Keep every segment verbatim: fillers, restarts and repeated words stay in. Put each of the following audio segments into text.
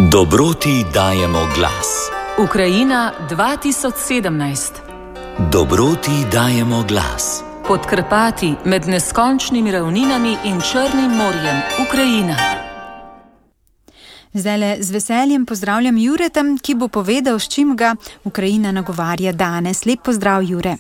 Dobroti dajemo glas. Ukrajina dva tisoč sedemnajst. Dobroti dajemo glas. Pod Karpati, med neskončnimi ravninami in Črnim morjem, Ukrajina. Zdajle z veseljem pozdravljam Jureta, ki bo povedal, s čim ga Ukrajina nagovarja danes. Lep pozdrav, Jure.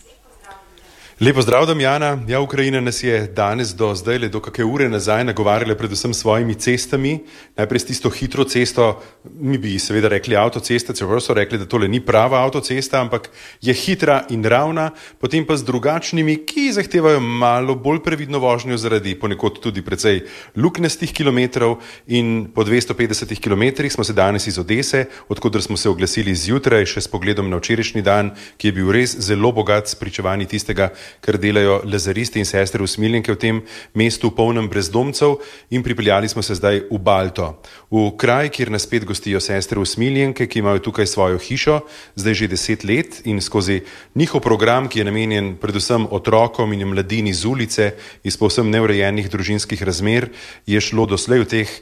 Lep pozdrav, Damjana. Ja, Ukrajina nas je danes do zdaj, do kakšne ure nazaj nagovarjala predvsem s svojimi cestami. Najprej s tisto hitro cesto, mi bi seveda rekli avtocesta, čeprav so rekli, da tole ni prava avtocesta, ampak je hitra in ravna, potem pa z drugačnimi, ki zahtevajo malo bolj previdno vožnjo zaradi ponekod tudi precej luknjastih kilometrov, in po dvesto petdesetih kilometrih smo se danes iz Odese, odkudar smo se oglasili zjutraj, še s pogledom na včerajšnji dan, ki je bil res zelo bogat s pričevanji tistega, kar delajo lazaristi in sestre usmiljenke v tem mestu polnem brezdomcev, in pripeljali smo se zdaj v Balto, v kraj, kjer nas spet gostijo sestre usmiljenke, ki imajo tukaj svojo hišo, zdaj že deset let, in skozi njihov program, ki je namenjen predvsem otrokom in mladini z ulice, iz povsem neurejenih družinskih razmer, je šlo doslej v teh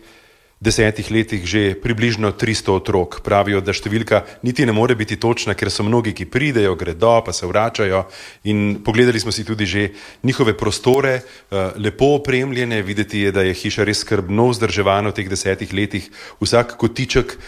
desetih letih že približno tristo otrok. Pravijo, da številka niti ne more biti točna, ker so mnogi, ki pridejo, gredo, pa se vračajo, in pogledali smo si tudi že njihove prostore, lepo opremljene, videti je, da je hiša res skrbno vzdrževana v teh desetih letih. Vsak kotiček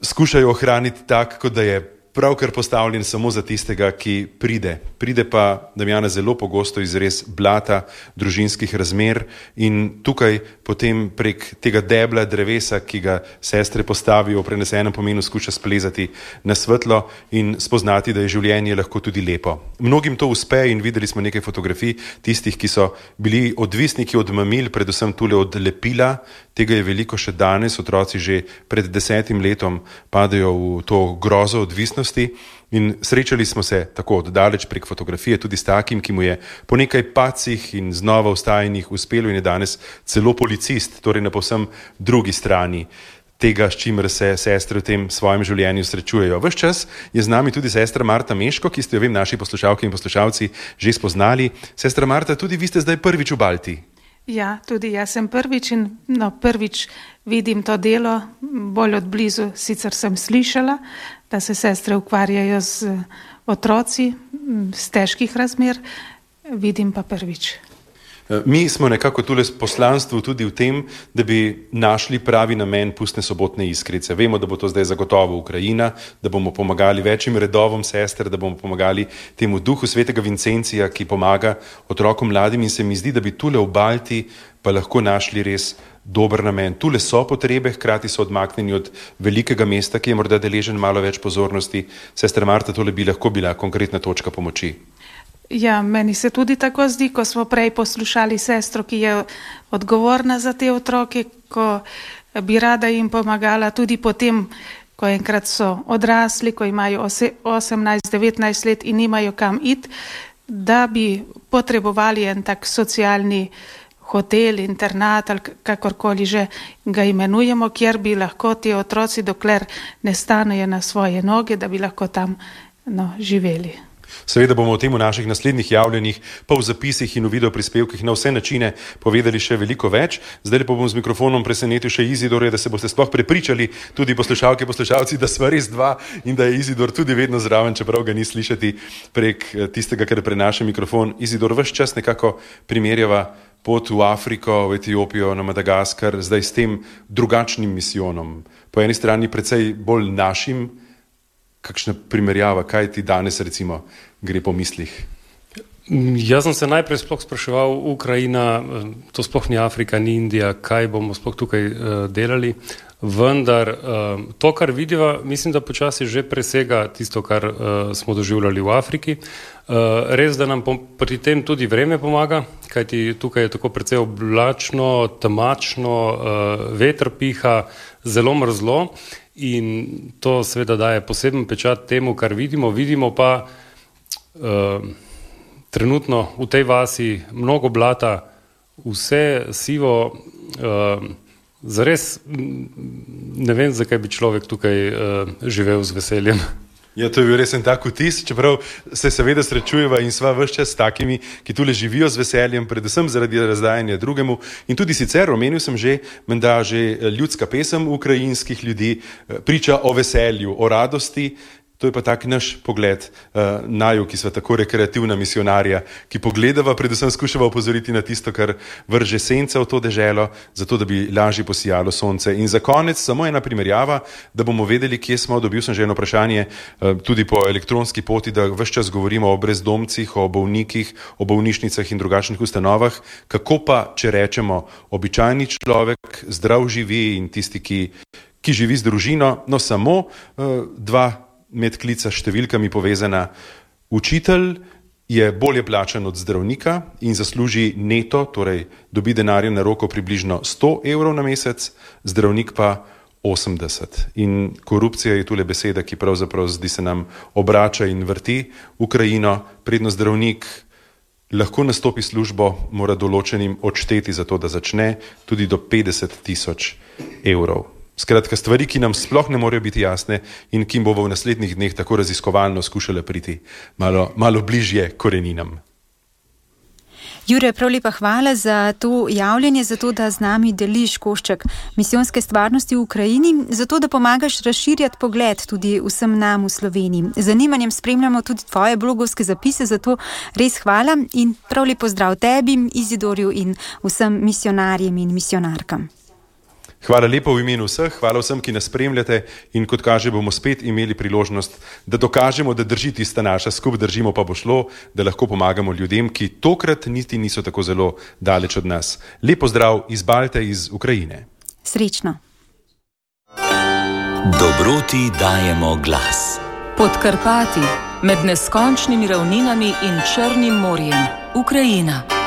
skušajo ohraniti tak, kot da je pravkar postavljen samo za tistega, ki pride. Pride pa, Damjana, zelo pogosto iz res blata družinskih razmer, in tukaj potem prek tega debla drevesa, ki ga sestre postavijo v prenesenem pomenu, skuša splezati na svetlo in spoznati, da je življenje lahko tudi lepo. Mnogim to uspe, in videli smo nekaj fotografij tistih, ki so bili odvisniki od mamil, predvsem tule od lepila. Tega je veliko še danes, otroci že pred desetim letom padajo v to grozo odvisnosti, in srečali smo se tako oddaleč prek fotografije tudi s takim, ki mu je po nekaj pacih in znova vstajanjih uspelo in je danes celo policist, torej na povsem drugi strani tega, s čimer se sestre v tem svojem življenju srečujejo. Ves čas je z nami tudi sestra Marta Meško, ki ste jo, vem, naši poslušalke in poslušalci že spoznali. Sestra Marta, tudi vi ste zdaj prvič v Balti. Ja, tudi jaz sem prvič in no, prvič vidim to delo bolj od blizu. Sicer sem slišala, da se sestre ukvarjajo z otroci z težkih razmer, vidim pa prvič. Mi smo nekako tule s poslanstvom tudi v tem, da bi našli pravi namen pustne sobotne iskrice. Vemo, da bo to zdaj zagotovo Ukrajina, da bomo pomagali večjim redovom sester, da bomo pomagali temu duhu svetega Vincencija, ki pomaga otrokom mladim, in se mi zdi, da bi tule v Balti pa lahko našli res dober namen. Tule so potrebe, hkrati so odmaknjeni od velikega mesta, ki je morda deležen malo več pozornosti. Sestra Marta, tole bi lahko bila konkretna točka pomoči. Ja, meni se tudi tako zdi, ko smo prej poslušali sestro, ki je odgovorna za te otroke, ko bi rada jim pomagala tudi potem, ko enkrat so odrasli, ko imajo osemnajst devetnajst let in nimajo kam iti, da bi potrebovali en tak socialni hotel, internat ali kakorkoli že ga imenujemo, kjer bi lahko ti otroci, dokler ne stanejo na svoje noge, da bi lahko tam no, živeli. Seveda bomo o tem v naših naslednjih javljenjih, pa v zapisih in v videoprispevkih na vse načine povedali še veliko več. Zdaj pa bom z mikrofonom presenetil še Izidorja, da se boste sploh prepričali, tudi poslušalke, poslušalci, da sva res dva in da je Izidor tudi vedno zraven, čeprav ga ni slišati prek tistega, kar prenaša mikrofon. Izidor, ves čas nekako primerjava pot v Afriko, v Etiopijo, na Madagaskar, zdaj s tem drugačnim misijonom. Po eni strani precej bolj našim. Kakšna primerjava, kaj ti danes recimo gre po mislih? Jaz sem se najprej sploh spraševal, Ukrajina, to sploh ni Afrika, ni Indija, kaj bomo sploh tukaj uh, delali, vendar uh, to, kar vidiva, mislim, da počasi že presega tisto, kar uh, smo doživljali v Afriki. Uh, res, da nam pri tem tudi vreme pomaga, kajti tukaj je tako precej oblačno, temačno, uh, veter piha, zelo mrzlo. In to seveda daje poseben pečat temu, kar vidimo. Vidimo pa uh, trenutno v tej vasi mnogo blata, vse sivo, uh, zares ne vem, zakaj bi človek tukaj uh, živel z veseljem. Ja, to je bil res en tak vtis, čeprav se seveda srečujeva in sva ves čas s takimi, ki tule živijo z veseljem, predvsem zaradi razdajanja drugemu. In tudi sicer, omenil sem že, menda že ljudska pesem ukrajinskih ljudi priča o veselju, o radosti. To je pa tak naš pogled uh, naju, ki sva tako rekreativna misionarja, ki pogledava, predvsem skušava opozoriti na tisto, kar vrže sence v to deželo, zato da bi lažje posijalo sonce. In za konec samo ena primerjava, da bomo vedeli, kje smo. Dobil sem že eno vprašanje uh, tudi po elektronski poti, da ves čas govorimo o brezdomcih, o bolnikih, o bolnišnicah in drugačnih ustanovah. Kako pa, če rečemo, običajni človek, zdrav živi in tisti, ki, ki živi z družino, no samo uh, dva medklica s številkami povezana. Učitelj je bolje plačan od zdravnika in zasluži neto, torej dobi denarja na roko približno sto evrov na mesec, zdravnik pa osemdeset. In korupcija je tule beseda, ki pravzaprav zdi se nam obrača in vrti Ukrajino. Predno zdravnik lahko nastopi službo, mora določenim odšteti za to, da začne, tudi do petdeset tisoč evrov. Skratka, stvari, ki nam sploh ne morejo biti jasne in ki jim bomo v naslednjih dneh tako raziskovalno skušali priti malo, malo bližje koreninam. Jure, prav lepa hvala za to javljanje, za to, da z nami deliš košček misijonske stvarnosti v Ukrajini, za to, da pomagaš razširjati pogled tudi vsem nam v Sloveniji. Z zanimanjem spremljamo tudi tvoje blogovske zapise, zato res hvala in prav lep pozdrav tebi, Izidorju in vsem misionarjem in misionarkam. Hvala lepo v imenu vseh, hvala vsem, ki nas spremljate in kot kaže, bomo spet imeli priložnost, da dokažemo, da drži tista naša, skup držimo pa bo šlo, da lahko pomagamo ljudem, ki tokrat niti niso tako zelo daleč od nas. Lep pozdrav iz Balte, iz Ukrajine. Srečno. Dobroti dajemo glas. Pod Karpati, med neskončnimi ravninami in Črnim morjem, Ukrajina.